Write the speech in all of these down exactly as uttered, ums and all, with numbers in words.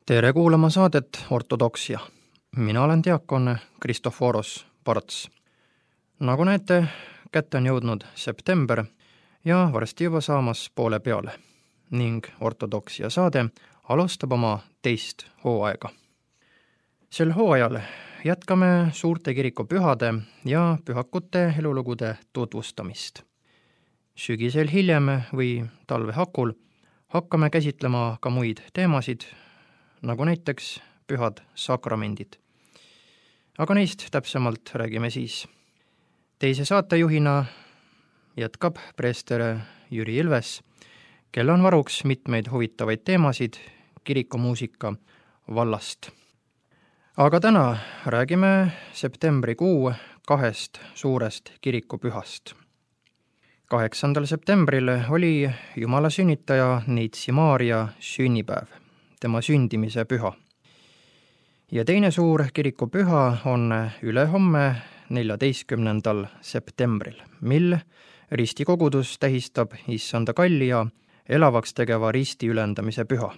Tere kuulama saadet Ortodoksia. Mina olen diakon Kristoforos Parts. Nagu näete, kätte on jõudnud september ja varsti juba saamas poole peale ning Ortodoksia saade alustab oma teist hooaega. Sel hooajal jätkame suurte kirikupühade ja pühakute elulugude tutvustamist. Sügisel hiljem või talve hakul hakkame käsitlema ka muid teemasid, nagu näiteks pühad sakramendid. Aga neist täpsemalt räägime siis. Teise saatejuhina jätkab preester Jüri Ilves, kel on varuks mitmeid huvitavaid teemasid kirikumuusika vallast. Aga täna räägime septembrikuu kahest suurest kirikupühast. kaheksandal septembril oli Jumala sünnitaja Neitsi Maarja sünnipäev, tema sündimise püha. Ja teine suur kirikupüha on ülehomme neljateistkümnendal septembril, mil ristikogudus tähistab Issanda kalli ja elavaks tegeva risti ülendamise püha.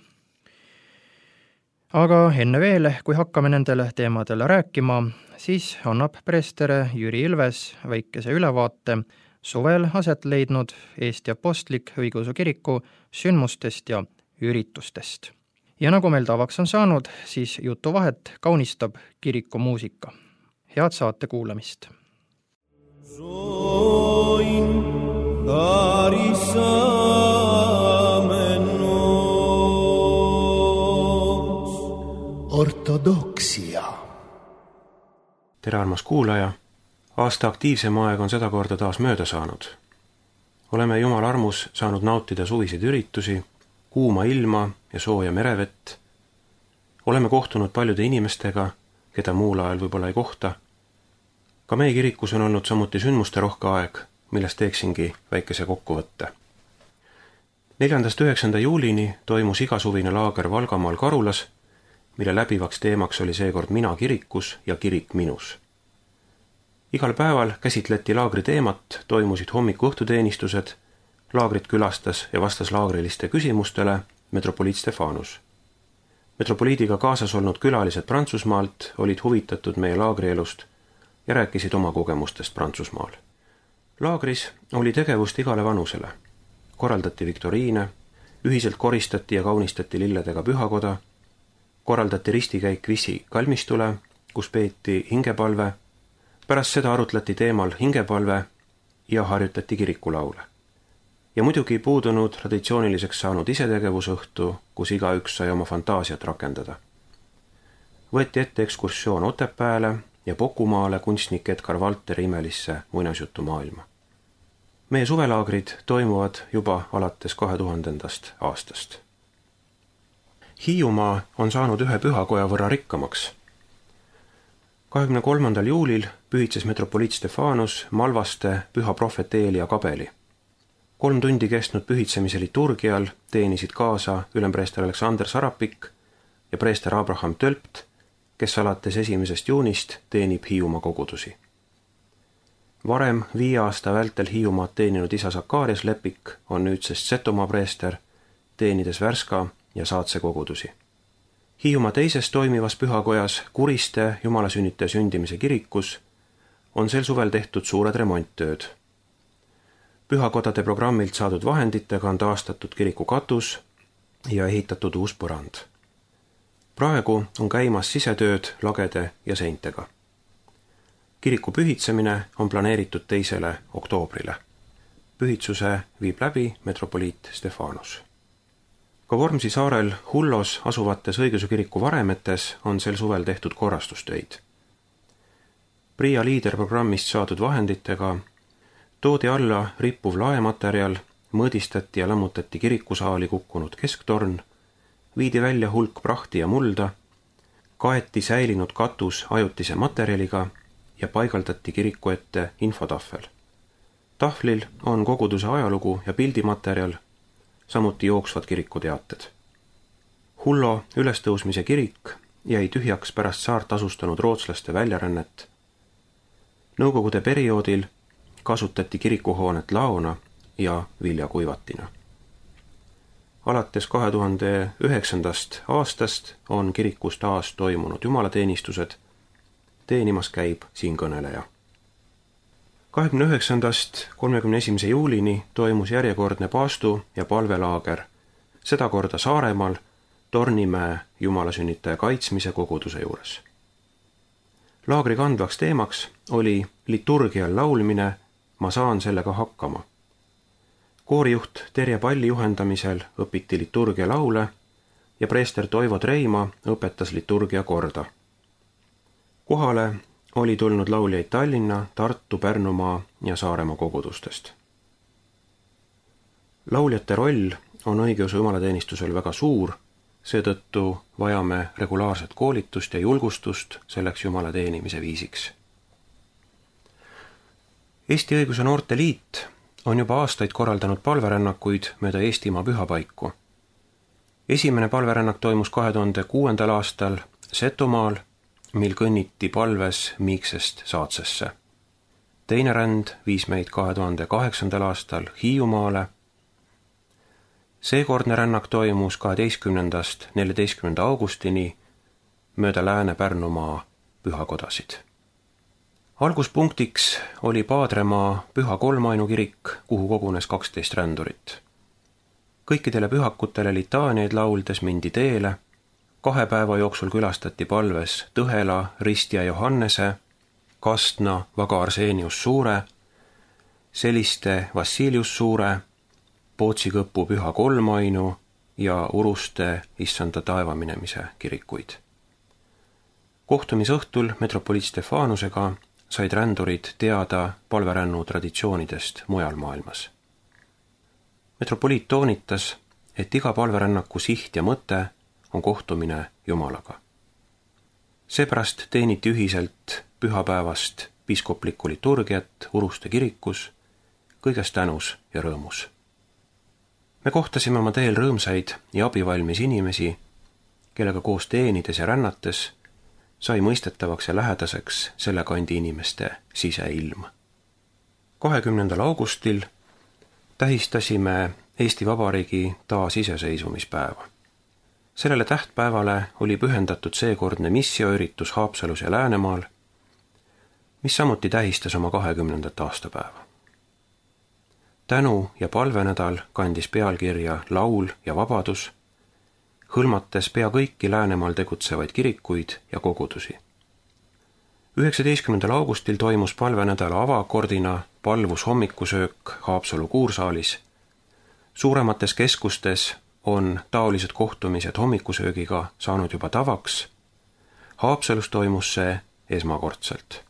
Aga enne veel, kui hakkame nendele teemadele rääkima, siis annab preester Jüri Ilves väikese ülevaate suvel aset leidnud Eesti Apostlik Õigeusu Kiriku sündmustest ja üritustest. Ja nagu meil tavaks on saanud, siis jutuvahet kaunistab kirikumuusika. Head saate kuulamist! Ortodoksia. Tere, armas kuulaja! Aasta aktiivsem aeg on seda korda taas mööda saanud. Oleme Jumala armus saanud nautida suviseid üritusi, kuuma ilma ja sooja merevett. Oleme kohtunud paljude inimestega, keda muul ajal võib-olla ei kohta. Ka meie kirikus on olnud samuti sündmuste rohke aeg, millest teeksingi väikese kokkuvõtte. neljandast üheksanda juulini toimus igasuvine laager Valgamaal Karulas, mille läbivaks teemaks oli seekord mina kirikus ja kirik minus. Igal päeval käsitleti laagri teemat, toimusid hommiku-õhtuteenistused, laagrit külastas ja vastas laagriliste küsimustele metropoliit Stefanus. Metropoliidiga kaasas olnud külalised Prantsusmaalt olid huvitatud meie laagrielust ja rääkisid oma kogemustest Prantsusmaal. Laagris oli tegevust igale vanusele. Korraldati viktoriine, ühiselt koristati ja kaunistati lilledega pühakoda, korraldati ristikäik Vissi kalmistule, kus peeti hingepalve. Pärast seda arutleti teemal hingepalve ja harjutati kirikulaule. Ja muidugi puudunud traditsiooniliseks saanud isetegevusõhtu, kus igaüks sai oma fantaasiat rakendada. Võeti ette ekskursioon Otepääle ja Pokumaale kunstnik Edgar Valteri imelisse muinasjutu maailma. Meie suvelaagrid toimuvad juba alates kahe tuhandendast aastast. Hiiumaa on saanud ühe pühakoja võrra rikkamaks. kahekümne kolmandal juulil pühitses metropoliit Stefanus Malvaste püha prohvet Eelia kabeli. Kolm tundi kestnud pühitsemise liturgial teenisid kaasa ülempreester Aleksander Sarapik ja preester Abraham Tölpt, kes alates esimesest juunist teenib Hiiumaa kogudusi. Varem viie aasta vältel Hiiumaad teeninud isa Sakarias Lepik on nüüdsest Setomaa preester, teenides Värska ja Saatse kogudusi. Hiiumaa teises toimivas pühakojas Kuriste Jumala sünnitaja sündimise kirikus on sel suvel tehtud suured remonttööd. Pühakodade programmilt saadud vahenditega on taastatud kiriku katus ja ehitatud uus põrand. Praegu on käimas sisetööd lagede ja seintega. Kiriku pühitsemine on planeeritud teisele oktoobrile. Pühitsuse viib läbi metropoliit Stefanus. Ka Vormsi saarel Hullos asuvates õigeusu kiriku varemetes on sel suvel tehtud korrastustöid. Priia liiderprogrammist saadud vahenditega toodi alla rippuv laematerjal, mõõdistati ja lammutati kirikusaali kukkunud kesktorn, viidi välja hulk prahti ja mulda, kaeti säilinud katus ajutise materjaliga ja paigaldati kiriku ette infotahvel. Tahvlil on koguduse ajalugu ja pildimaterjal, samuti jooksvad kirikuteated. Hullo ülestõusmise kirik jäi tühjaks pärast saart asustanud rootslaste väljarännet. Nõukogude perioodil kasutati kirikuhoonet laona ja viljakuivatina. alates kahe tuhande üheksandast aastast on kirikus taas toimunud jumalateenistused, teenimas käib siinkõneleja. kahekümne üheksandast kolmekümne esimese juulini toimus järjekordne paastu- ja palvelaager, seda korda Saaremaal, Tornimäe jumalasünnitaja kaitsmise koguduse juures. Laagri kandvaks teemaks oli liturgial laulmine "Ma saan sellega hakkama". Koorijuht Terje Palli juhendamisel õpiti liturgia laule ja preester Toivo Treima õpetas liturgia korda. Kohale oli tulnud lauljaid Tallinna, Tartu, Pärnumaa ja Saaremaa kogudustest. Lauljate roll on õigeusu jumalateenistusel väga suur, seetõttu vajame regulaarset koolitust ja julgustust selleks jumala teenimise viisiks. Eesti Õiguse Noorte Liit on juba aastaid korraldanud palverännakuid mööda Eestimaa pühapaiku. Esimene palverännak toimus kahe tuhande kuuendal aastal Setomaal, mil kõnniti palves Miiksest Saatsesse. Teine ränd viis meid kahe tuhande kaheksandal aastal Hiiumaale. Seekordne rännak toimus kaheteistkümnendast neljateistkümnenda augustini mööda Lääne-Pärnumaa pühakodasid. Alguspunktiks oli Paadremaa Püha Kolmainu kirik, kuhu kogunes kaksteist rändurit. Kõikidele pühakutele litaaniaid lauldes mindi teele, kahe päeva jooksul külastati palves Tõhela, Ristja Johannese, Kastna, Vaga Arseenius Suure, Seliste Vassilius Suure, Pootsikõpu Püha Kolmainu ja Uruste Issanda taevaminemise kirikuid. Kohtumisõhtul metropoliit Stefanusega said rändurid teada palverännu traditsioonidest mujal maailmas. Metropoliit toonitas, et iga palverännaku siht ja mõte on kohtumine Jumalaga. Seepärast teeniti ühiselt pühapäevast piiskoplikku liturgiat Uruste kirikus, kõiges tänus ja rõõmus. Me kohtasime oma teel rõõmsaid ja abivalmis inimesi, kellega koos teenides ja rännates sai mõistetavaks ja lähedaseks selle kandi inimeste siseilm. kahekümnendal augustil tähistasime Eesti Vabariigi taasiseseisvumispäeva. Sellele tähtpäevale oli pühendatud seekordne missioüritus Haapsalus ja Läänemaal, mis samuti tähistas oma kahekümnendat aastapäeva. Tänu- ja palvenädal kandis pealkirja Laul ja vabadus, hõlmates pea kõiki Läänemaal tegutsevaid kirikuid ja kogudusi. üheksateistkümnendal augustil toimus palvenädala avakordina palvus hommikusöök Haapsalu kuursaalis. Suuremates keskustes on taolised kohtumised hommikusöögiga saanud juba tavaks. Haapsalus toimus see esmakordselt.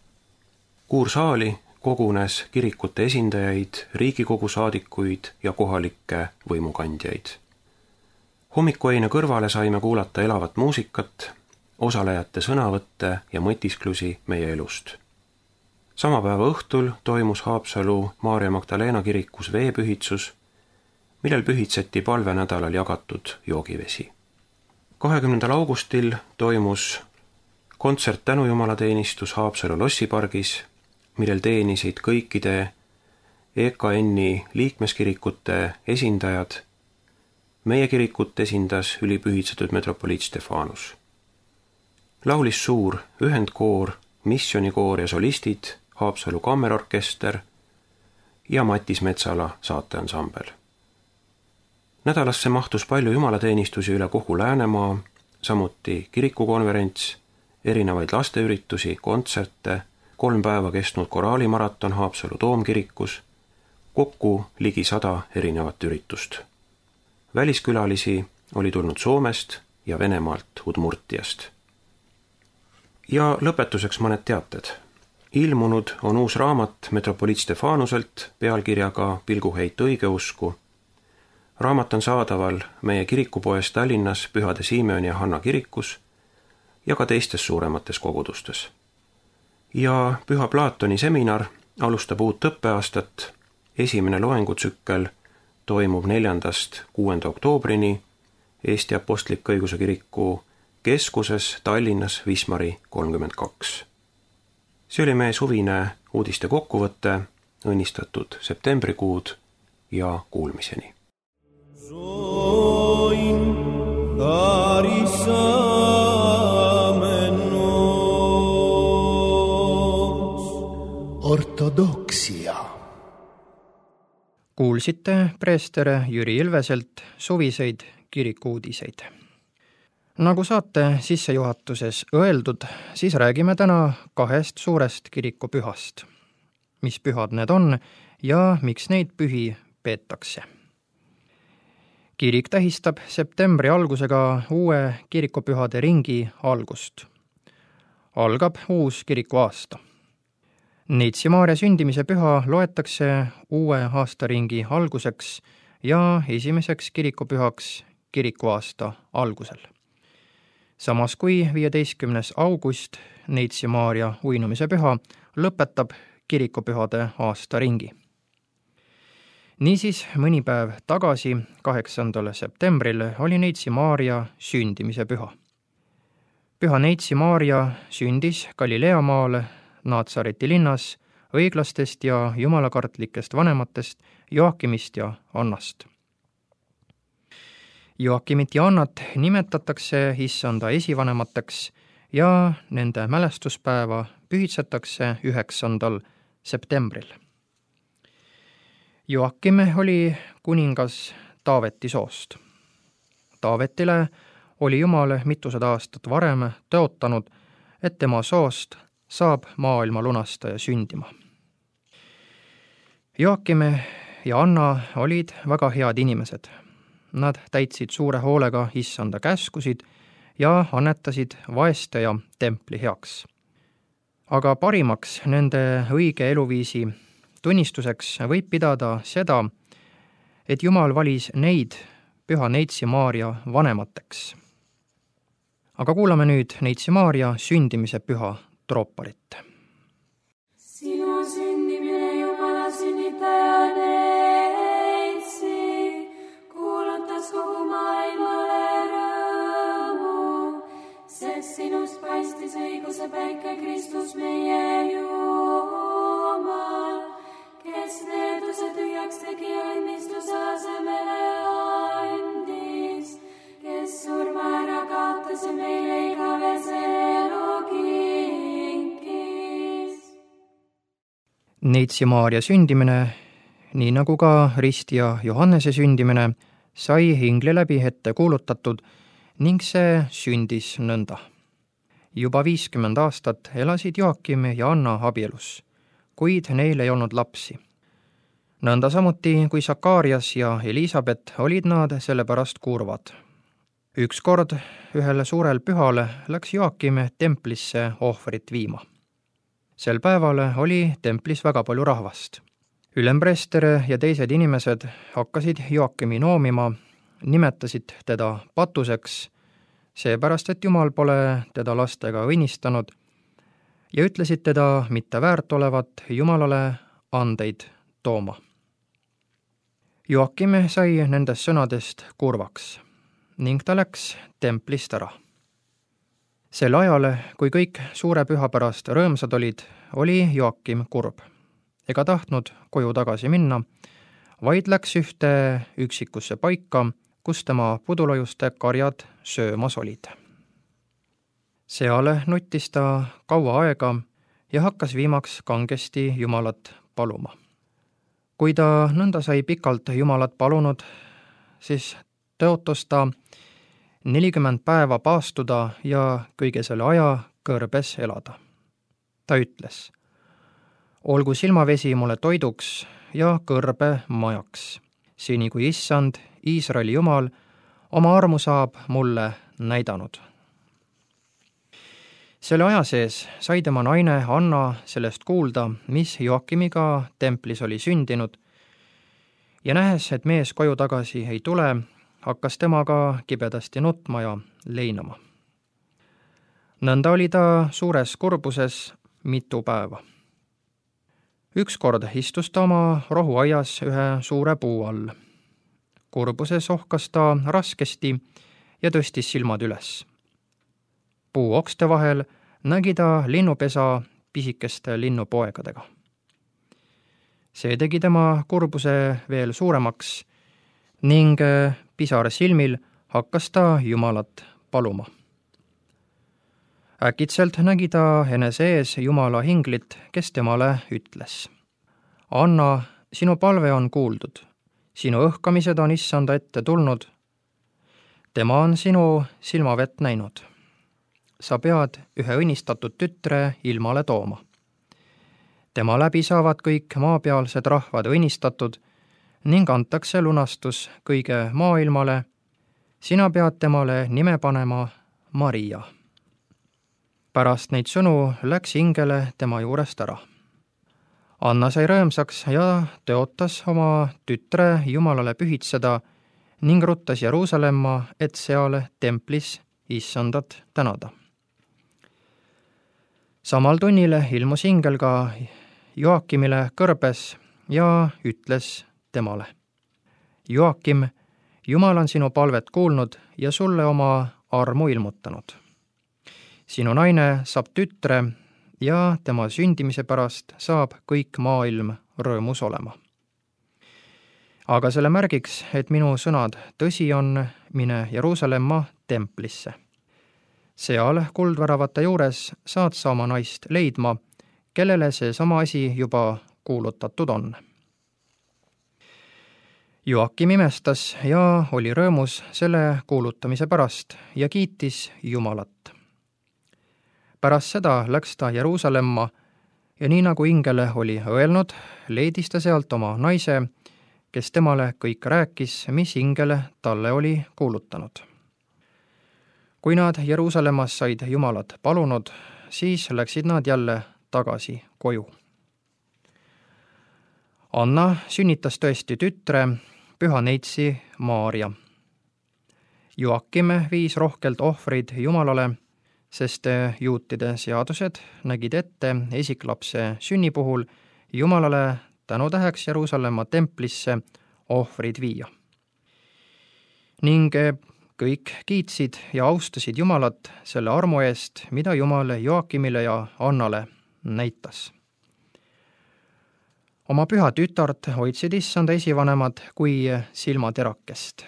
Kuursaali kogunes kirikute esindajaid, Riigikogu saadikuid ja kohalikke võimukandjaid. Hommikuöine kõrvale saime kuulata elavat muusikat, osalejate sõnavõtte ja mõtisklusi meie elust. Sama päeva õhtul toimus Haapsalu Maarja Magdalena kirikus veepühitsus, millel pühitseti palvenädalal jagatud joogivesi. kahekümnendal augustil toimus kontsert tänujumalateenistus Haapsalu lossipargis, millel teenisid kõikide E K N-i liikmeskirikute esindajad. Meie kirikut esindas ülipühitsetud metropoliit Stefanus. Laulis suur ühendkoor, missionikoor ja solistid, Haapsalu kammerorkester ja Matis Metsala saateansambel. Nädalasse mahtus palju jumalateenistusi üle kogu Läänemaa, samuti kirikukonverents, erinevaid lasteüritusi, kontserte, kolm päeva kestnud koraalimaraton Haapsalu toomkirikus, kokku ligi sada erinevat üritust. Väliskülalisi oli tulnud Soomest ja Venemaalt Udmurtiast. Ja lõpetuseks mõned teated. Ilmunud on uus raamat metropoliit Stefanuselt pealkirjaga Pilguheit õigeusku. Raamat on saadaval meie kirikupoes Tallinnas Pühade Simeoni ja Hanna kirikus ja ka teistes suuremates kogudustes. Ja Püha Plaatoni seminar alustab uut õppeaastat. Esimene loengutsükkel toimub neljandast kuuenda oktoobrini Eesti Apostlik Õigeusu Kiriku keskuses Tallinnas Wismari kolmkümmend kaks. See oli meie suvine uudiste kokkuvõte, õnnistatud septembrikuud ja kuulmiseni. Ortodoksia. Kuulsite preester Jüri Ilveselt suviseid kirikuudiseid. Nagu saate sissejuhatuses öeldud, siis räägime täna kahest suurest kirikupühast. Mis pühad need on ja miks neid pühi peetakse? Kirik tähistab septembri algusega uue kirikupühade ringi algust. Algab uus kirikuaasta. Neitsi Maarja sündimise püha loetakse uue aastaringi alguseks ja esimeseks kirikupühaks kirikuaasta algusel. Samas kui viieteistkümnes august, Neitsi Maarja uinumise püha, lõpetab kirikupühade aastaringi. Niisiis, mõni päev tagasi, kaheksandal septembril, oli Neitsi Maarja sündimise püha. Püha Neitsi Maarja sündis Galileamaal Naatsareti linnas õiglastest ja jumalakartlikest vanematest Joakimist ja Annast. Joakimit ja Annat nimetatakse issanda esivanemateks ja nende mälestuspäeva pühitsetakse üheksandal septembril. Joakim oli kuningas Taaveti soost. Taavetile oli Jumal mitusada aastat varem tõotanud, et tema soost saab maailma lunastaja sündima. Joakim ja Anna olid väga head inimesed. Nad täitsid suure hoolega issanda käskusid ja annetasid vaeste ja templi heaks. Aga parimaks nende õige eluviisi tunnistuseks võib pidada seda, et Jumal valis neid püha Neitsi Maarja vanemateks. Aga kuulame nüüd Neitsi Maarja sündimise püha trooparit. Sinu sündimine Jumala sünnitaja Neitsi kuulutas kogu maailmale rõõmu, sest sinust paistis õiguse päike Kristus meie Jumal, kes needuse tühjaks tegi ja õnnistuse asemele andis, kes surma ära kaotas ja meile igavese elu kinkis. Neitsi Maarja sündimine, nii nagu ka Ristja Johannese sündimine, sai ingli läbi ette kuulutatud ning see sündis nõnda. Juba viiskümmend aastat elasid Joakim ja Anna abielus, kuid neil ei olnud lapsi. Nõnda samuti kui Sakarias ja Elisabet olid nad sellepärast kurvad. Ükskord ühel suurel pühal läks Joakim templisse ohvrit viima. Sel päeval oli templis väga palju rahvast. Ülempreester ja teised inimesed hakkasid Joakimi noomima, nimetasid teda patuseks, seepärast et Jumal pole teda lastega õnnistanud, ja ütlesid teda mitte väärt olevat Jumalale andeid tooma. Joakim sai nendest sõnadest kurvaks ning ta läks templist ära. Sel ajal, kui kõik suure püha pärast rõõmsad olid, oli Joakim kurb ega tahtnud koju tagasi minna, vaid läks ühte üksikusse paika, kus tema pudulojuste karjad söömas olid. Seal nuttis ta kaua aega ja hakkas viimaks kangesti Jumalat paluma. Kui ta nõnda sai pikalt Jumalat palunud, siis tõotas ta nelikümmend päeva paastuda ja kõige selle aja kõrbes elada. Ta ütles: olgu silmavesi mulle toiduks ja kõrbe majaks, seni kui issand, Iisraeli Jumal, oma armu saab mulle näidanud. Selle aja sees sai tema naine Anna sellest kuulda, mis Joakimiga templis oli sündinud, ja nähes, et mees koju tagasi ei tule, hakkas temaga kibedasti nutma ja leinama. Nõnda oli ta suures kurbuses mitu päeva. Ükskord istus ta oma rohuaias ühe suure puu all. Kurbuses ohkas ta raskesti ja tõstis silmad üles. Puu okste vahel nägi ta linnupesa pisikeste linnupoegadega. See tegi tema kurbuse veel suuremaks ning pisar silmil hakkas ta Jumalat paluma. Äkitselt nägi ta enese ees Jumala hinglit, kes temale ütles: Anna, sinu palve on kuuldud, sinu õhkamised on issanda ette tulnud. Tema on sinu silmavett näinud. Sa pead ühe õnnistatud tütre ilmale tooma. Tema läbi saavad kõik maapealsed rahvad õnnistatud ning antakse lunastus kõige maailmale. Sina pead temale nime panema Maria. Pärast neid sõnu läks ingele tema juurest ära. Anna sai rõõmsaks ja tõotas oma tütre Jumalale pühitseda ning ruttas Jeruusalemma, et seal templis issandat tänada. Samal tunnil ilmus ingel ka Joakimile kõrbes ja ütles temale: Joakim, Jumal on sinu palvet kuulnud ja sulle oma armu ilmutanud. Sinu naine saab tütre ja tema sündimise pärast saab kõik maailm rõõmus olema. Aga selle märgiks, et minu sõnad tõsi on, mine Jeruusalemma templisse. Seal kuldväravate juures saad sa oma naist leidma, kellele see sama asi juba kuulutatud on. Joakim imestas ja oli rõõmus selle kuulutamise pärast ja kiitis Jumalat. Pärast seda läks ta Jeruusalemma ja nii nagu ingele oli öelnud, leidis ta sealt oma naise, kes temale kõik rääkis, mis ingele talle oli kuulutanud. Kui nad Jeruusalemmas said Jumalat palunud, siis läksid nad jälle tagasi koju. Anna sünnitas tõesti tütre, püha neitsi Maaria. Joakim viis rohkelt ohvreid Jumalale, sest juutide seadused nägid ette esiklapse sünni puhul Jumalale tänutäheks Jeruusalemma templisse ohvrid viia. Ning kõik kiitsid ja austasid Jumalat selle armu eest, mida Jumal Joakimile ja Annale näitas. Oma püha tütart hoidsid issanda esivanemad kui silmaterakest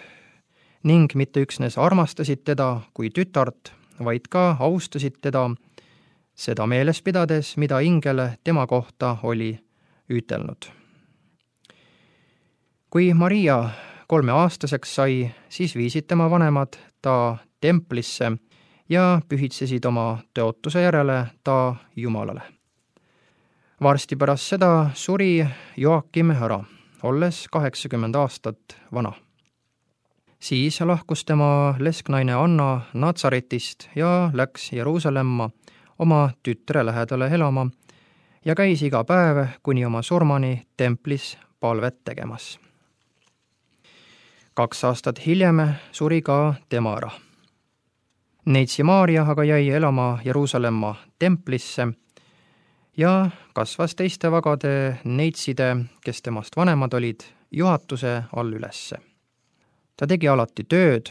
ning mitte üksnes armastasid teda kui tütart, vaid ka austasid teda, seda meeles pidades, mida ingel tema kohta oli ütelnud. Kui Maria kolmeaastaseks sai, siis viisid tema vanemad ta templisse ja pühitsesid oma tõotuse järele ta Jumalale. Varsti pärast seda suri Joakim ära, olles kaheksakümmend aastat vana. Siis lahkus tema lesknaine Anna Natsaretist ja läks Jeruusalemma oma tütre lähedale elama ja käis iga päev kuni oma surmani templis palvet tegemas. Kaks aastat hiljem suri ka tema ära. Neitsi Maaria aga jäi elama Jeruusalemma templisse ja kasvas teiste vagade neitside, kes temast vanemad olid, juhatuse all ülesse. Ta tegi alati tööd,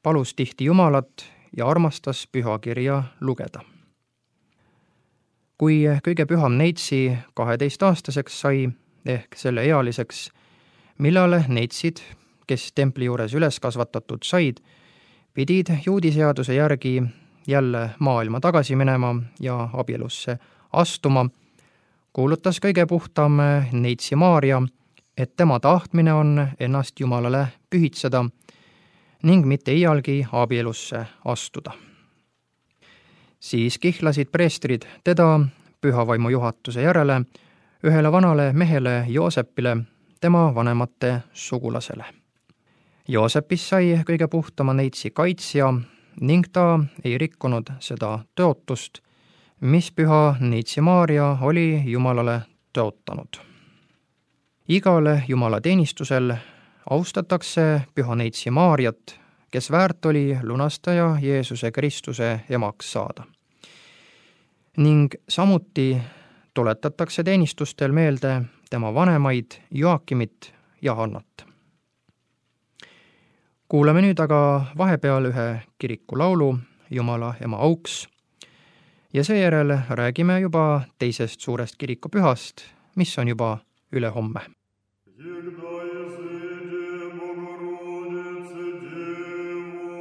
palus tihti Jumalat ja armastas pühakirja lugeda. Kui kõige püham neitsi kaheteistaastaseks sai, ehk selle ealiseks, millal neitsid, kes templi juures üles kasvatatud said, pidid juudi seaduse järgi jälle maailma tagasi minema ja abielusse astuma, kuulutas kõige puhtam neitsi Maaria, et tema tahtmine on ennast Jumalale pühitseda ning mitte iialgi abielusse astuda. Siis kihlasid preestrid teda pühavaimu juhatuse järele ühele vanale mehele Joosepile, tema vanemate sugulasele. Joosepis sai kõige puhtama neitsi kaitsja ning ta ei rikkunud seda tõotust, mis püha neitsi Maaria oli Jumalale tõotanud. Igale Jumala teenistusel austatakse püha neitsi Maariat, kes väärt oli lunastaja Jeesuse Kristuse emaks saada. Ning samuti tuletatakse teenistustel meelde tema vanemaid Joakimit ja Annat. Kuulame nüüd aga vahepeal ühe kiriku laulu Jumala ema auks ja seejärel räägime juba teisest suurest kirikupühast, mis on juba ülehomme. Всегда, если Богородице Деву,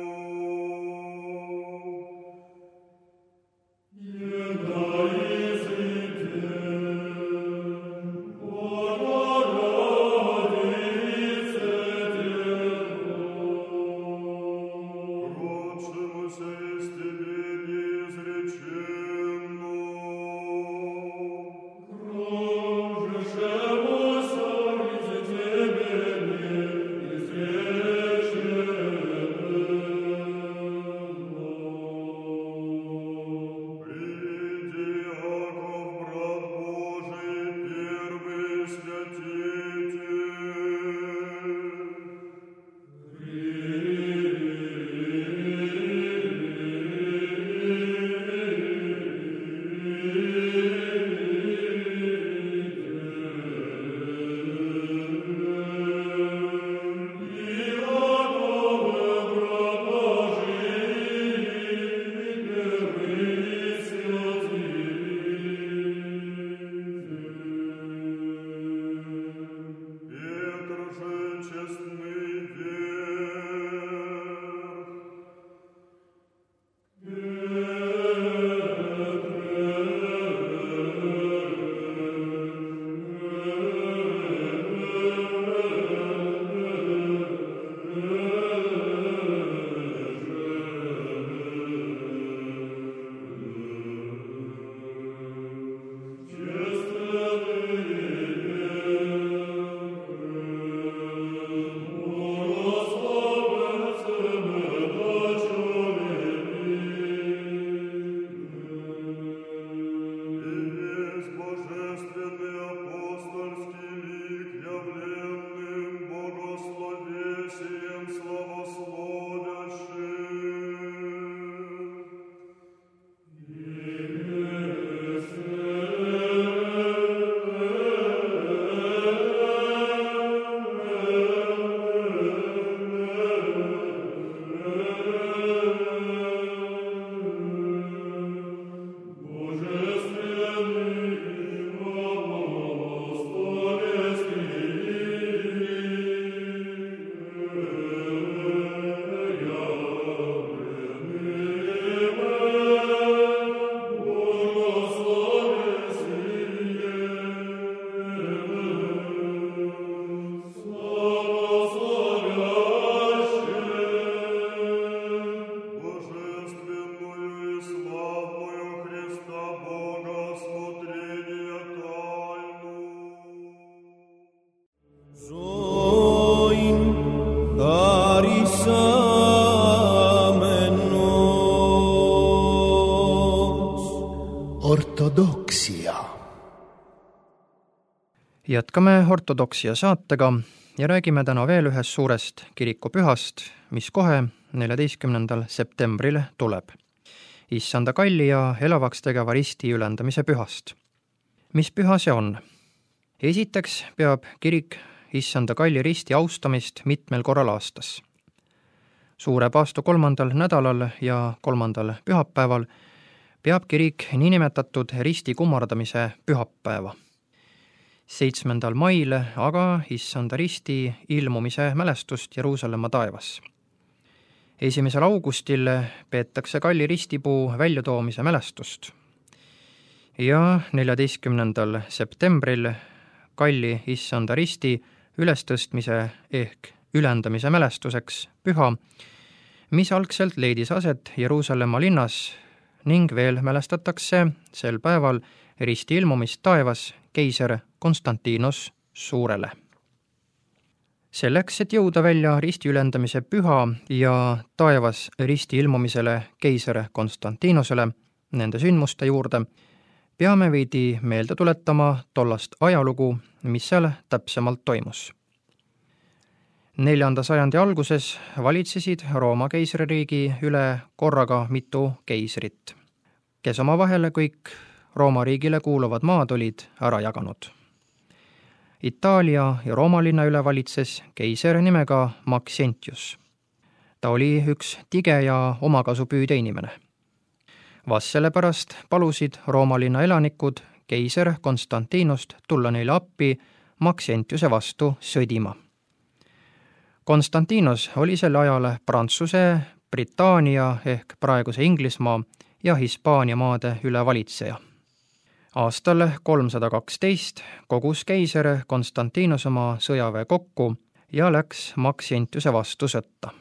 ortodoksia. Jätkame ortodoksia saatega ja räägime täna veel ühest suurest kirikupühast, mis kohe neljateistkümnendal septembril tuleb. Issanda kalli ja elavaks tegeva risti ülendamise pühast. Mis püha see on? Esiteks peab kirik Issanda kalli risti austamist mitmel korral aastas. Suure paastu kolmandal nädalal ja kolmandal pühapäeval peab kirik niinimetatud risti kummardamise pühapäeva. seitsmendal mail aga Issanda risti ilmumise mälestust Jeruusalemma taevas. esimesel augustil peetakse kalli ristipuu väljatoomise mälestust ja neljateistkümnendal septembril kalli Issanda risti ülestõstmise ehk ülendamise mälestuseks püha, mis algselt leidis aset Jeruusalemma linnas ning veel mälestatakse sel päeval risti ilmumist taevas keiser Konstantinos Suurele. Selleks, et jõuda välja risti ülendamise püha ja taevas risti ilmumisele keiser Konstantinosele, nende sündmuste juurde, peame veidi meelde tuletama tollast ajalugu, mis seal täpsemalt toimus. Neljanda sajandi alguses valitsesid Rooma keisririigi üle korraga mitu keisrit, kes omavahel kõik Rooma riigile kuuluvad maad olid ära jaganud. Itaalia ja Rooma linna üle valitses keiser nimega Maxentius. Ta oli üks tige ja omakasupüüdja inimene. Vast sellepärast palusid Rooma linna elanikud keiser Konstantinost tulla neile appi Maxentiuse vastu sõdima. Konstantinos oli sel ajal Prantsuse, Britannia ehk praeguse Inglismaa ja Hispaania maade üle valitseja. Aastal kolmsada kaksteist kogus keiser Konstantinos oma sõjaväe kokku ja läks Maxentiuse vastu sõtta.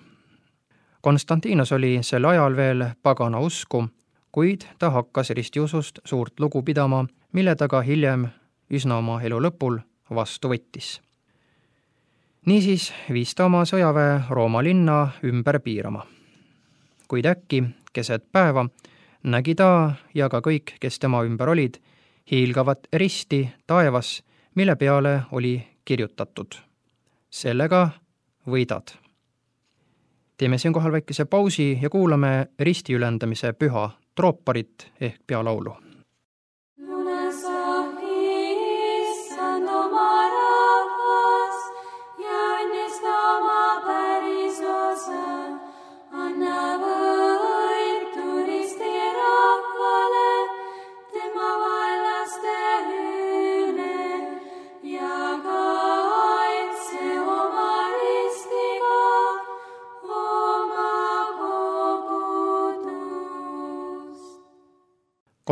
Konstantinos oli sel ajal veel pagana usku, kuid ta hakkas ristiusust suurt lugu pidama, mille ta ka hiljem üsna oma elu lõpul vastu võttis. Niisiis viis ta oma sõjaväe Rooma linna ümber piirama. Kuid äkki keset päeva nägi ta ja ka kõik, kes tema ümber olid, hiilgavat risti taevas, mille peale oli kirjutatud: sellega võidad. Teeme siinkohal väikese pausi ja kuulame risti ülendamise püha trooparit ehk pealaulu.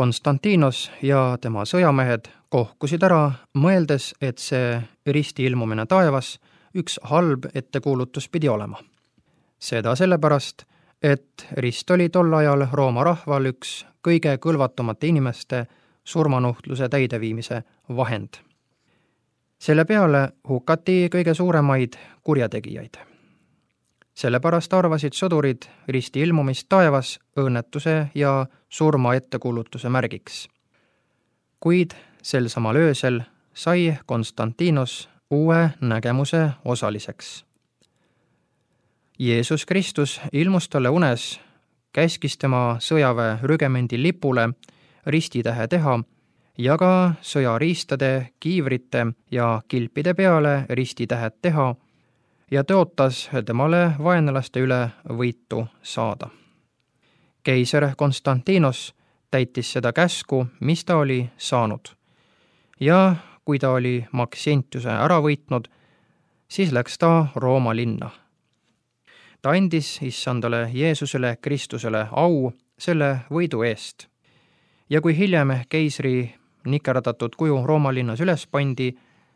Konstantinos ja tema sõjamehed kohkusid ära, mõeldes, et see risti ilmumine taevas üks halb ettekuulutus pidi olema. Seda sellepärast, et rist oli tol ajal Rooma rahval üks kõige kõlvatumate inimeste surmanuhtluse täideviimise vahend. Selle peale hukati kõige suuremaid kurjategijaid. Sellepärast arvasid sõdurid risti ilmumist taevas õnnetuse ja surma ettekuulutuse märgiks. Kuid sel samal öösel sai Konstantinos uue nägemuse osaliseks. Jeesus Kristus ilmus talle unes, käskis tema sõjaväe rügemendi lipule ristitähe teha ja ka sõjariistade, kiivrite ja kilpide peale ristitähed teha ja tõotas temale vaenlaste üle võitu saada. Keiser Konstantinos täitis seda käsku, mis ta oli saanud. Ja kui ta oli Maxentiuse ära võitnud, siis läks ta Rooma linna. Ta andis Issandale Jeesusele Kristusele au selle võidu eest. Ja kui hiljem keisri nikerdatud kuju Rooma linnas üles pandi,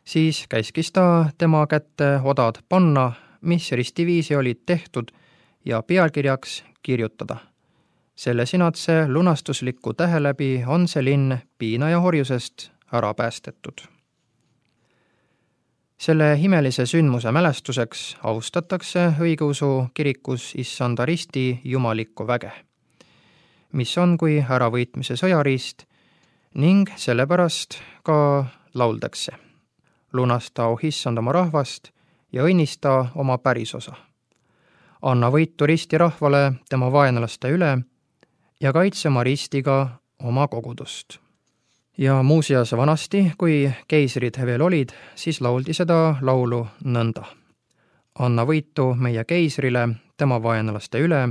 siis käskis ta tema kätte odad panna, mis ristiviisi olid tehtud, ja pealkirjaks kirjutada: selle sinadse lunastusliku tähe läbi on see linn piina ja horjusest ära päästetud. Selle imelise sündmuse mälestuseks austatakse õigeusu kirikus Issanda risti jumalikku väge, mis on kui äravõitmise sõjariist, ning sellepärast ka lauldakse. Lunasta, o issand, oma rahvast ja õnnista oma pärisosa. Anna võitu risti rahvale tema vaenlaste üle ja kaitse oma ristiga oma kogudust. Ja muuseas vanasti, kui keisrid veel olid, siis lauldi seda laulu nõnda. Anna võitu meie keisrile tema vaenlaste üle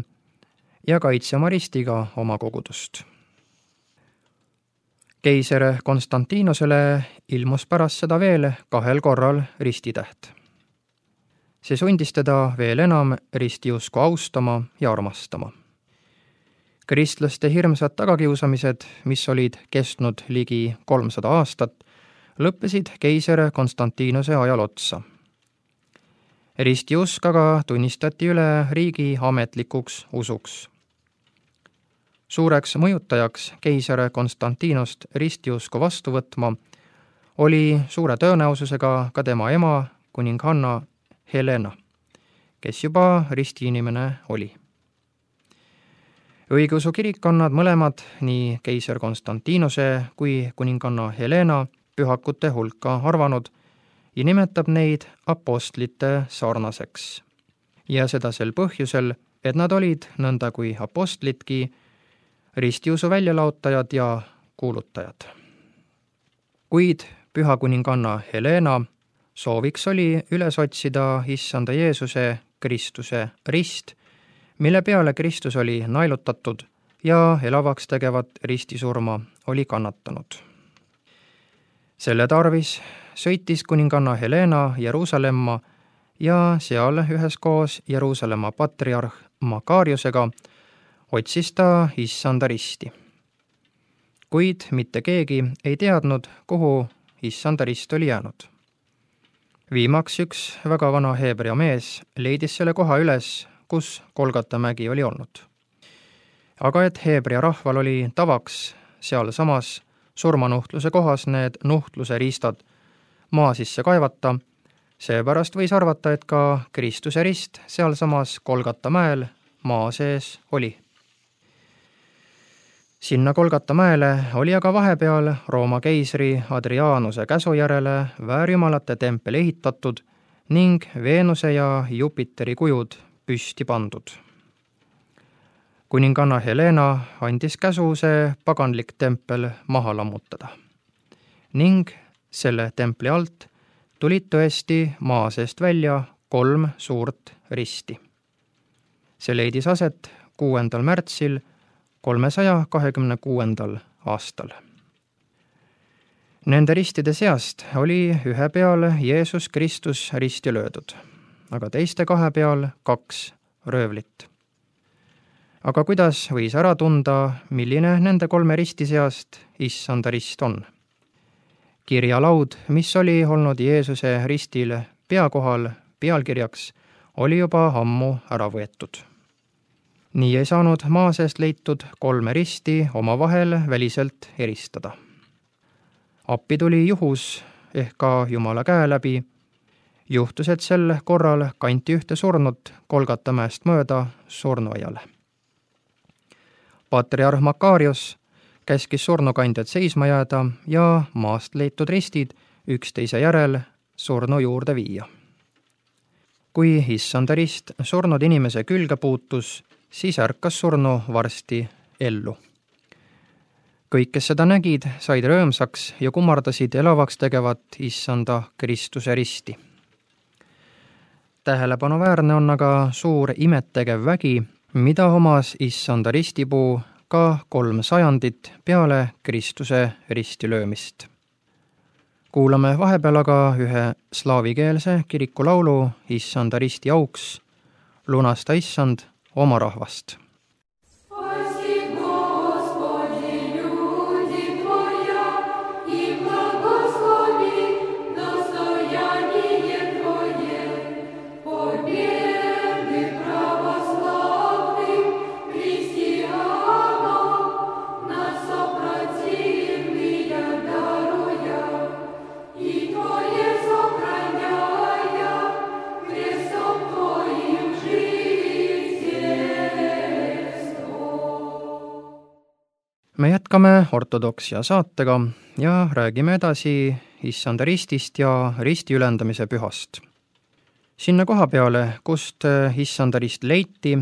ja kaitse oma ristiga oma kogudust. Keiser Konstantinosele ilmus pärast seda veel kahel korral ristitäht. See sundis teda veel enam ristiusku austama ja armastama. Kristlaste hirmsad tagakiusamised, mis olid kestnud ligi kolmsada aastat, lõppesid keiser Konstantinose ajal otsa. Ristiusk aga tunnistati üle riigi ametlikuks usuks. Suureks mõjutajaks keiser Konstantinost ristiusku vastu võtma oli suure tõenäosusega ka tema ema, kuninganna Helena, kes juba ristiinimene oli. Õigeusu kirik on nad mõlemad, nii keiser Konstantinose kui kuninganna Helena, pühakute hulka arvanud ja nimetab neid apostlite sarnaseks. Ja seda sel põhjusel, et nad olid nõnda kui apostlidki, ristiusu väljalaotajad ja kuulutajad. Kuid püha kuninganna Helena sooviks oli üles otsida issanda Jeesuse Kristuse rist, mille peale Kristus oli naelutatud ja elavaks tegevat ristisurma oli kannatanud. Selle tarvis sõitis kuninganna Helena Jeruusalemma ja seal üheskoos Jeruusalemma patriarh Makariusega otsis ta issanda risti. Kuid mitte keegi ei teadnud, kuhu issanda rist oli jäänud. Viimaks üks väga vana heebrea mees leidis selle koha üles, kus Golgata mägi oli olnud. Aga et heebrea rahval oli tavaks seal samas surmanuhtluse kohas need nuhtluse riistad maa sisse kaevata, seepärast võis arvata, et ka Kristuse rist seal samas Golgata mäel maa sees oli. Sinna Golgata mäele oli aga vahepeal Rooma keisri Adrianuse käsu järele väärjumalate tempel ehitatud ning Veenuse ja Jupiteri kujud püsti pandud. Kuninganna Helena andis käsu see paganlik tempel maha lammutada ning selle templi alt tulid tõesti maa seest välja kolm suurt risti. See leidis aset kuuendal märtsil kolmesaja kahekümne kuuendal aastal. Nende ristide seast oli ühe peal Jeesus Kristus risti löödud, aga teiste kahe peal kaks röövlit. Aga kuidas võis ära tunda, milline nende kolme risti seast issanda rist on? Kirjalaud, mis oli olnud Jeesuse ristil peakohal pealkirjaks, oli juba ammu ära võetud. Nii ei saanud maa seest leitud kolme risti omavahel väliselt eristada. Appi tuli juhus ehk ka Jumala käe läbi. Juhtus, et sel korral kanti ühte surnut Golgata mäest mööda surnuaiale. Patriarh Makarius käskis surnukandjad seisma jääda ja maast leitud ristid üksteise järel surnu juurde viia. Kui issanda rist surnud inimese külge puutus, siis ärkas surnu varsti ellu. Kõik, kes seda nägid, said rõõmsaks ja kummardasid elavaks tegevat issanda Kristuse risti. Tähelepanuväärne on aga suur imettegev vägi, mida omas issanda ristipuu ka kolm sajandit peale Kristuse risti löömist. Kuulame vahepeal aga ühe slaavikeelse kirikulaulu issanda risti auks, Lunasta, issand, oma rahvast. Yeah. jätkame ortodoksia saatega ja räägime edasi issanda ristist ja risti ülendamise pühast. Sinna koha peale, kust issanda rist leiti,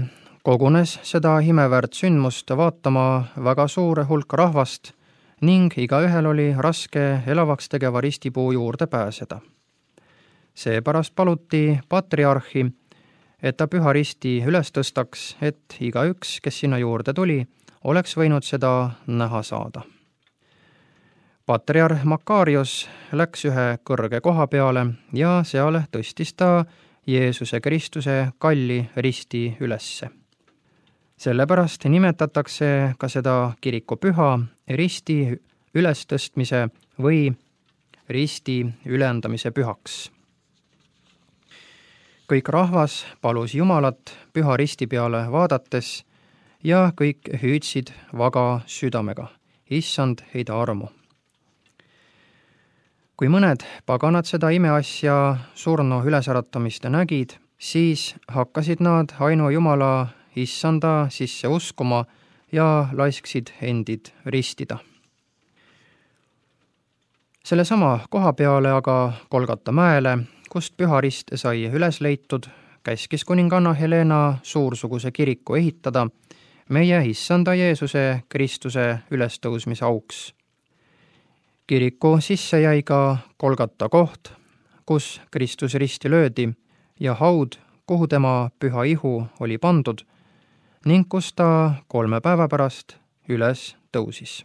kogunes seda imeväärt sündmust vaatama väga suur hulk rahvast ning igaühel oli raske elavaks tegeva ristipuu juurde pääseda. Seepärast paluti patriarhi, et ta püha risti üles tõstaks, et igaüks, kes sinna juurde tuli, oleks võinud seda näha saada. Patriarh Makarios läks ühe kõrge koha peale ja seal tõstis ta Jeesuse Kristuse kalli risti ülesse. Sellepärast nimetatakse ka seda kirikupüha risti ülestõstmise või risti ülendamise pühaks. Kõik rahvas palus Jumalat püha risti peale vaadates ja kõik hüüdsid vaga südamega, issand, heida armu. Kui mõned paganad seda imeasja surnu ülesäratamist nägid, siis hakkasid nad ainu Jumala issanda sisse uskuma ja laisksid endid ristida. Selle sama koha peale aga Golgata mäele, kust püha rist sai üles leitud, käskis kuninganna Helena suursuguse kiriku ehitada meie issanda Jeesuse Kristuse ülestõusmise auks. Kiriku sisse jäi ka Golgata koht, kus Kristus risti löödi ja haud, kuhu tema püha ihu oli pandud ning kus ta kolme päeva pärast üles tõusis.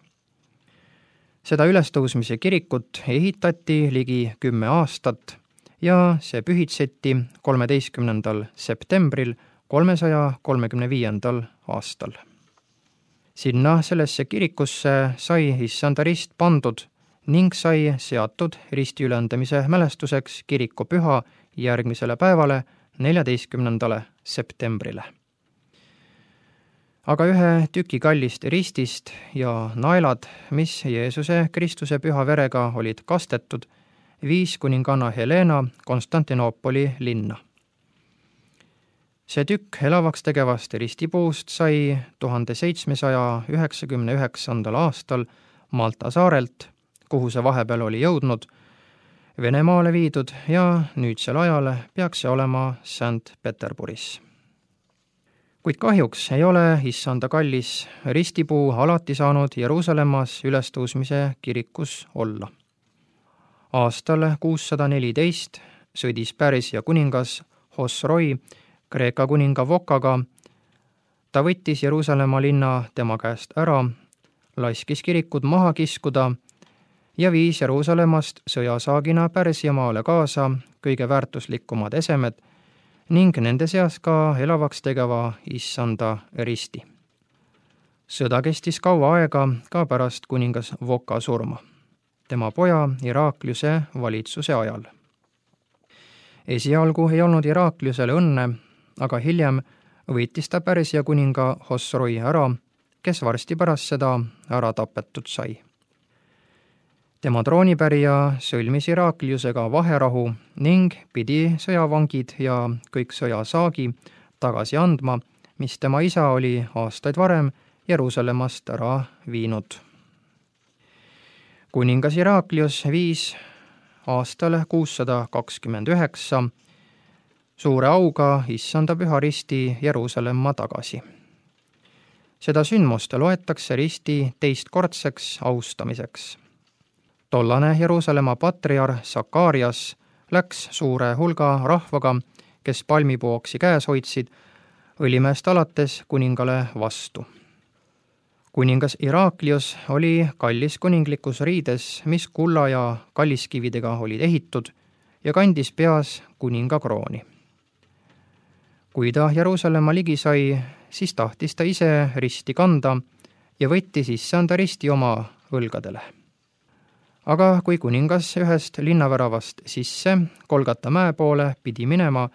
Seda ülestõusmise kirikut ehitati ligi kümme aastat ja see pühitseti kolmeteistkümnendal septembril kolmesaja kolmekümne viiendal aastal. Sinna sellesse kirikusse sai issanda rist pandud ning sai seatud risti ülendamise mälestuseks kirikupüha järgmisele päevale, neljateistkümnendale septembrile. Aga ühe tüki kallist ristist ja naelad, mis Jeesuse Kristuse püha verega olid kastetud, viis kuninganna Helena Konstantinoopoli linna. See tükk elavaks tegevast ristipuust sai tuhande seitsmesaja üheksakümne üheksandal aastal Malta saarelt, kuhu see vahepeal oli jõudnud, Venemaale viidud ja nüüdsel ajal peaks see olema Sankt-Peterburis. Kuid kahjuks ei ole issanda kallis ristipuu alati saanud Jeruusalemmas ülestõusmise kirikus olla. Aastal kuussada neliteist sõdis Pärsia kuningas Hosroi Kreeka kuninga Vokaga. Ta võttis Jeruusalemma linna tema käest ära, laskis kirikud maha kiskuda ja viis Jeruusalemmast sõjasaagina Pärsiamaale kaasa kõige väärtuslikumad esemed ning nende seas ka elavaks tegeva issanda risti. Sõda kestis kaua aega ka pärast kuningas Voka surma, tema poja Irakliuse valitsuse ajal. Esialgu ei olnud Irakliusele õnne, aga hiljem võitis ta Pärsia kuninga Hosroi ära, kes varsti pärast seda ära tapetud sai. Tema troonipärija sõlmis Irakliusega vaherahu ning pidi sõjavangid ja kõik sõjasaagi tagasi andma, mis tema isa oli aastaid varem Jeruusalemmast ära viinud. Kuningas Iraklius viis aastal kuussada kakskümmend üheksa suure auga issanda püha risti Jeruusalemma tagasi. Seda sündmust loetakse risti teistkordseks austamiseks. Tollane Jeruusalemma patriarh Sakarias läks suure hulga rahvaga, kes palmipooksi käes hoidsid, õlimeest alates kuningale vastu. Kuningas Iraklius oli kallis kuninglikus riides, mis kulla ja kalliskividega olid ehitud ja kandis peas kuninga krooni. Kui ta Jeruusalemma ligi sai, siis tahtis ta ise risti kanda ja võttis issanda risti oma õlgadele. Aga kui kuningas ühest linnaväravast sisse Golgata mäe poole pidi minema,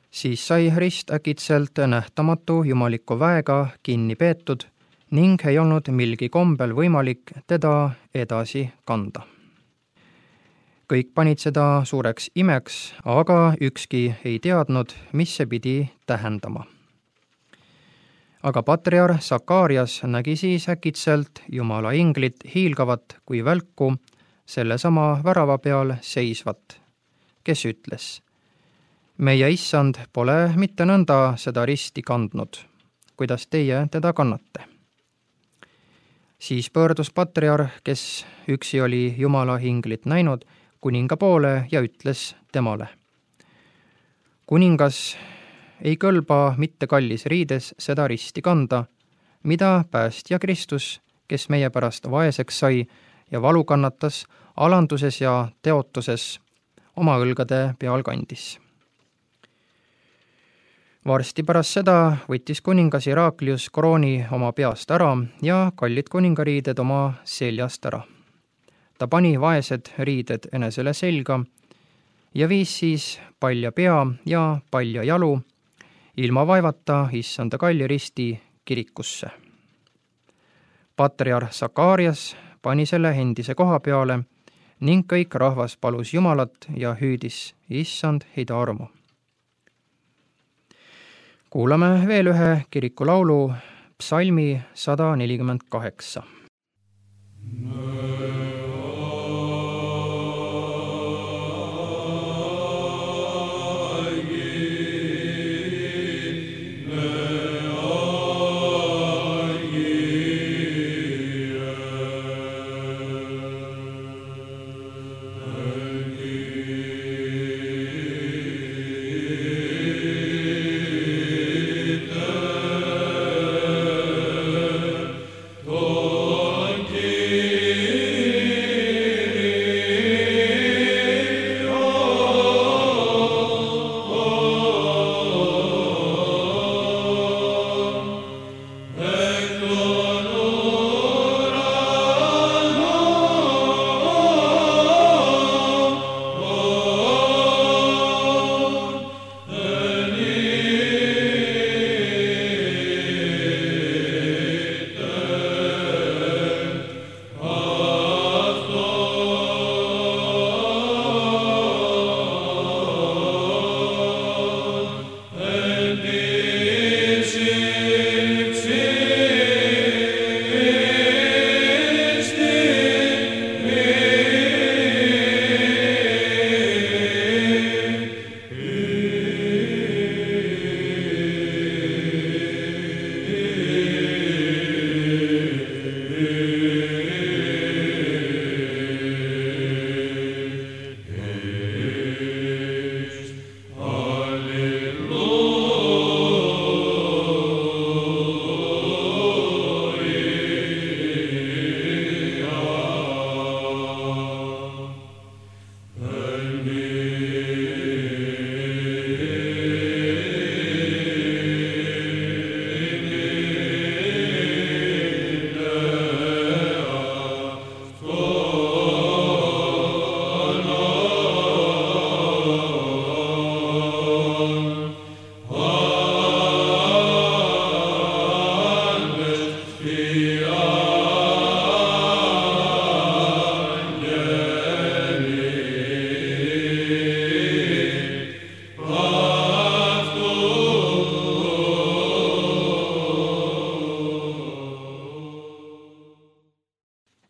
siis sai rist äkitselt nähtamatu jumaliku väega kinni peetud ning ei olnud milgi kombel võimalik teda edasi kanda. Kõik panid seda suureks imeks, aga ükski ei teadnud, mis see pidi tähendama. aga patriarh Sakarias nägi siis äkitselt Jumala inglit hiilgavat kui välku sellesama värava peal seisvat, kes ütles: meie issand pole mitte nõnda seda risti kandnud, kuidas teie teda kannate. Siis pöördus patriarh, kes üksi oli Jumala inglit näinud, kuninga poole ja ütles temale: kuningas, ei kõlba mitte kallis riides seda risti kanda, mida päästja Kristus, kes meie pärast vaeseks sai ja valu kannatas, alanduses ja teotuses oma õlgade peal kandis. Varsti pärast seda võttis kuningas Iraklius krooni oma peast ära ja kallid kuningariided oma seljast ära. Ta pani vaesed riided enesele selga ja viis siis palja pea ja palja jalu ilma vaevata issanda kalli risti kirikusse. Patriarh Sakarias pani selle endise koha peale ning kõik rahvas palus Jumalat ja hüüdis: issand, heida armu. Kuulame veel ühe kirikulaulu, psalmi sada nelikümmend kaheksa.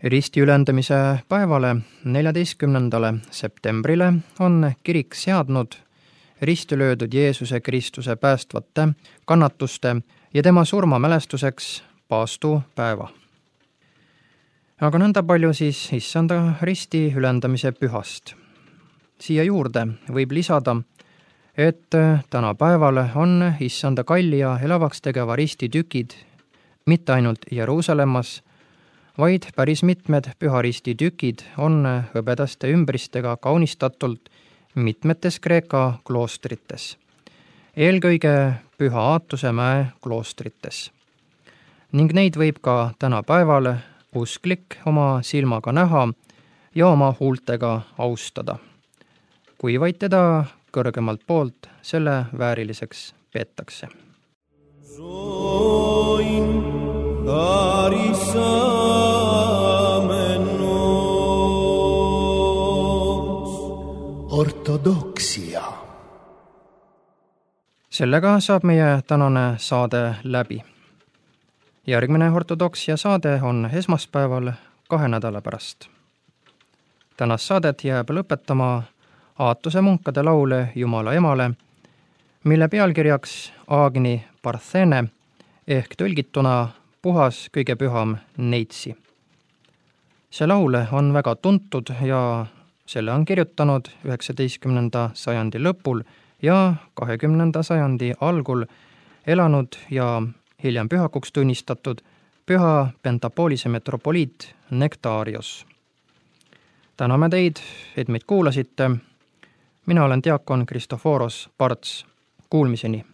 Ristiülendamise päevale, neljateistkümnendale septembrile on kirik seadnud risti löödud Jeesuse Kristuse päästvate kannatuste ja tema surma mälestuseks paastupäeva. Aga nõnda palju siis issanda risti ülendamise pühast. Siia juurde võib lisada, et tänapäeval on issanda kalli ja elavaks tegeva risti tükid mitte ainult Jeruusalemmas, vaid päris mitmed püharisti tükid on hõbedaste ümbristega kaunistatult mitmetes Kreeka kloostrites, eelkõige Püha Aatuse mäe kloostrites. Ning neid võib ka tänapäeval usklik oma silmaga näha ja oma huultega austada, kui vaid teda kõrgemalt poolt selle vääriliseks peetakse. Ortodoksia. Sellega saab meie tänane saade läbi. järgmine ortodoksia saade on esmaspäeval kahe nädala pärast. Tänast saadet jääb lõpetama Aatuse munkade laul Jumala emale, mille pealkirjaks Agni Parthene ehk tõlgituna puhas kõige püham neitsi. See laul on väga tuntud ja selle on kirjutanud üheksateistkümnenda sajandi lõpul ja kahekümnenda sajandi algul elanud ja hiljem pühakuks tunnistatud püha Pentapolise metropoliit Nektarios. Täname teid, et meid kuulasite. Mina olen diakon Kristoforos Parts. Kuulmiseni!